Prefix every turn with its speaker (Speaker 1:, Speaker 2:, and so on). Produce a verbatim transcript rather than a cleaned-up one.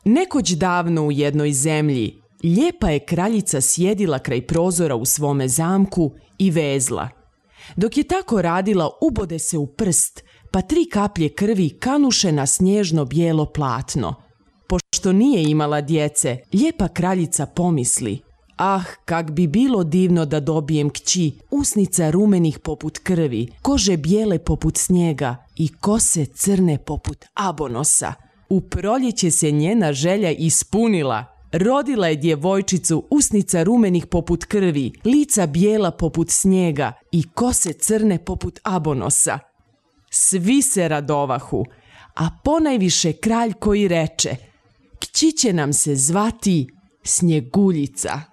Speaker 1: Nekoć davno u jednoj zemlji, lijepa je kraljica sjedila kraj prozora u svome zamku i vezla. Dok je tako radila, ubode se u prst, pa tri kaplje krvi kanuše na snježno bijelo platno. Pošto nije imala djece, lijepa kraljica pomisli: ah, kak bi bilo divno da dobijem kći, usnica rumenih poput krvi, kože bijele poput snijega i kose crne poput abonosa. U proljeće se njena želja ispunila. Rodila je djevojčicu, usnica rumenih poput krvi, lica bijela poput snijega i kose crne poput abonosa. Svi se radovahu, a ponajviše kralj koji reče: kći će nam se zvati Snjeguljica.